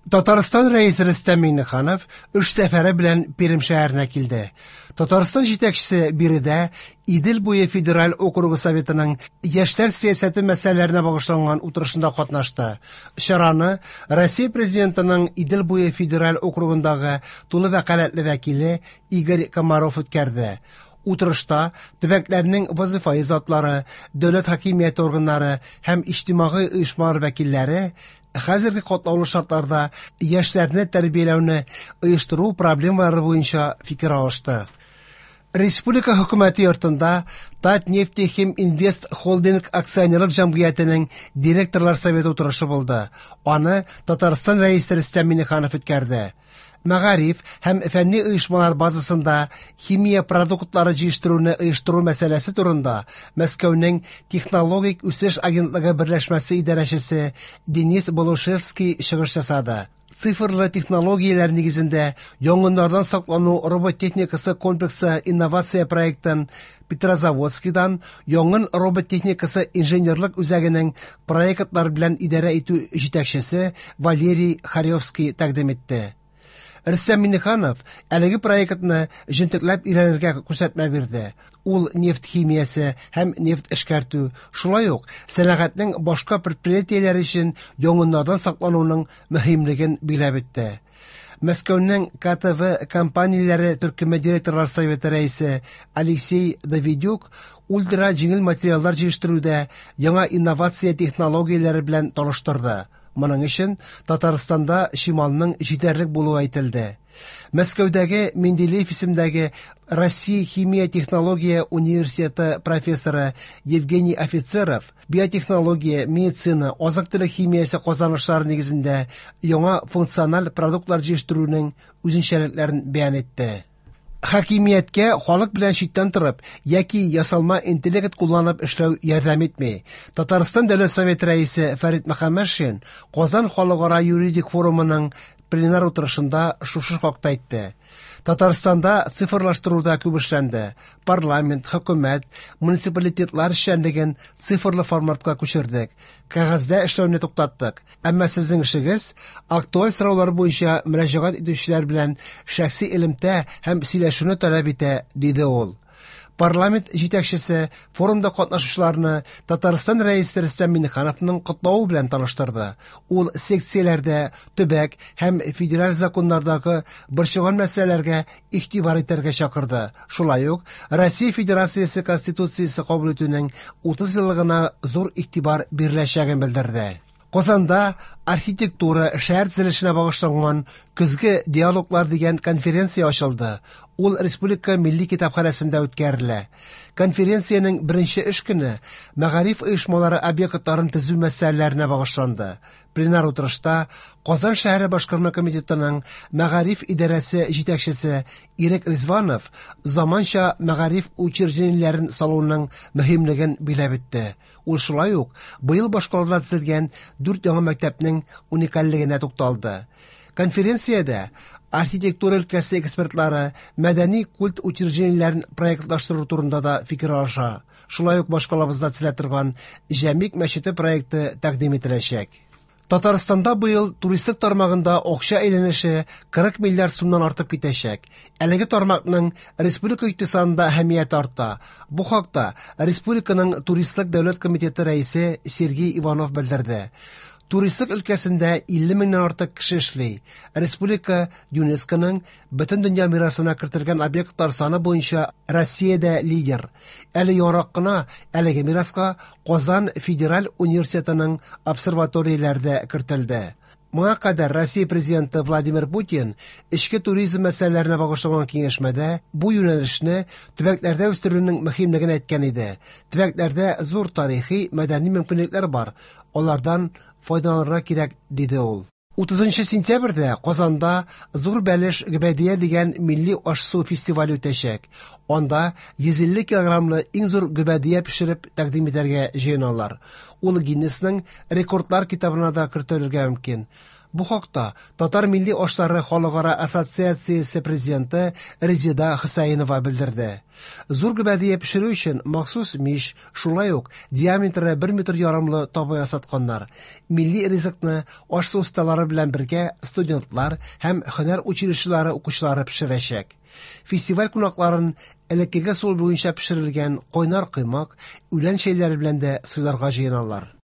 Татарстан Рәисе Рөстәм Миңнеханов эш сәфәре белән Пермь шәһәренә килде. Татарстан җитәкчесе биредә Идел буе федераль округы Советының яшьләр сәясәте мәсьәләләренә багышланган утырышында катнашты. Чараны Россия Президентының Идел буе федераль округындагы тулы вәкаләтле вәкиле Игорь Комаров үткәрде. Утырышта төбәкләрнең вазыйфаи затлары, дәүләт хакимияте органнары һәм иҗтимагый оешмалар вәкилләре хәзерге катлаулы шартларда яшьләрне тәрбияләүне оештыру проблемалары буенча фикер алышты. Республика хөкүмәте йортында Татнефтехиминвест Холдинг акционерлык җәмгыятенең директорлар советы утырышы булды. Аны Татарстан Рәисе Рөстәм Миңнеханов үткәрде. Мәгариф һәм фәнни оешмалар базасында химия продуктлары җитештерүне оештыру мәсьәләсе турында Мәскәүнең Технологик үсеш агентлыгы берләшмәсе идарәчесе Денис Болушевский чыгыш ясады. Цифрлы технологияләр нигезендә янгыннардан саклану робот техникасы комплексы инновация проектын Петрозаводскидан янгын робот техникасы инженерлык үзәгенең проектлар белән идарә итү җитәкчесе Валерий Харевский тәкъдим итте. Рөстәм Миңнеханов әлеге проектны җентекләп өйрәнергә күрсәтмә бирде. Ул нефть химиясе һәм нефть эшкәртү, шулай ук сәнәгатьнең башка предприятиеләре өчен янгыннардан саклануның мөһимлеген билгеләп үтте. Мәскәүнең КТВ компанияләре төркеме директорлар советы рәисе Алексей Давидюк ультра җиңел материаллар җитештерүдә яңа инновация технологияләре белән таныштырды. Моның өчен Татарстанда чималның җитәрлек булуы әйтелде. Мәскәүдәге Менделеев исемендәге Россия химия технология университеты профессоры Евгений Офицеров биотехнология, медицина, азык-төлек химиясе казанышлары нигезендә яңа функциональ продуктлар җитештерүнең үзенчәлекләрен бәян итте. Хакимияткә халык белән читтән торып яки ясалма интеллект кулланып эшләү ярдәм итми. Татарстан Дәүләт Советы рәисе Фәрит Мөхәммәтшин Казан халыкара юридик форумының пленар утырышында шушы хакта әйтте. Татарстанда цифрлаштыруда күп эшләнде. Парламент, хөкүмәт, муниципалитетлар эшчәнлеген цифрлы форматка күчердек. Кәгазьдә эшләүне туктаттык. Әмма сезнең эшегез актуаль сораулар буенча мөрәҗәгать итүчеләр белән шәхси элемтә һәм сөйләшүне таләп итә, диде ул. Парламент җитәкчесе форумда катнашучыларны Татарстан Рәисе Рөстәм Миңнехановның котлавы белән таныштырды. Ул секцияләрдә төбәк һәм федераль законнардагы борчыган мәсьәләләргә игътибар итәргә чакырды. Шулай ук Россия Федерациясе Конституциясе кабул итүнең 30 еллыгына зур игътибар биреләчәген белдерде. Казанда архитектура, шәһәр төзелешенә багышланган Көзге диалоглар дигән конференция ачылды. Ул Республика милли китапханәсендә үткәрелә. Конференциянең беренче эш көне мәгариф оешмалары объектларын төзү мәсьәләләренә багышланды. Пленар утырышта Казан шәһәре башкарма комитетының мәгариф идарәсе җитәкчесе Ирек Ризванов заманча мәгариф учреждениеләрен салуның мөһимлеген билгеләп үтте. Ул шулай ук быел башкалада төзелгән дүрт яңа мәктәпнең уникальлегенә тукталды. Конференциядә архитектура өлкәсе экспертлары мәдәни культ учреждениеләрен проектлаштыру турында да фикер алыша. Шулай ук башкалабызда төзелә торган Җәмигъ мәчете проекты тәкъдим ителәчәк. Татарстанда быел туристлык тармагында акча әйләнеше 40 миллиард сумнан артып китәчәк. Әлеге тармакның республика икътисадында әһәмияте арта. Бу хакта республиканың туристлык дәүләт комитеты рәисе Сергей Иванов белдерде. Туристлык өлкәсендә 50 меңнән артык кеше эшли. Республика ЮНЕСКОның Бөтендөнья мирасына кертелгән объектлар саны буенча Россиядә лидер. Әле яңарак кына әлеге мираска Казан федераль университетының обсерваторияләре дә кертелде. Моңа кадәр Россия Президенты Владимир Путин эчке туризм мәсьәләләренә багышланган киңәшмәдә бу юнәлешне төбәкләрдә үстерүнең мөһимлеген әйткән иде. Төбәкләрдә зур тарихи, мәдәни мөмкинлекләр бар, алардан файдаланырга кирәк, диде ул. 30 сентябрьдә Казанда Зур бәлеш гөбәдия дигән милли аш-су фестивале үтәчәк. Анда 150 килограммлы иң зур гөбәдия пешереп тәкъдим итәргә җыеналар. Ул Гиннесның рекордлар китабына да кертелергә мөмкин. Бу хакта Татар милли ашлары халыкара ассоциациясе президенты Резеда Хөсәенова белдерде. Зур гөбәдия пешерү өчен махсус мич, шулай ук диаметры 1 метр ярымлы таба ясатканнар. Милли ризыкны аш-су осталары белән бергә студентлар һәм һөнәр училищелары укучылары пешерәчәк. Фестиваль кунакларын элеккеге ысул буенча пешерелгән кайнар коймак, үлән чәйләре белән дә сыйларга җыеналар.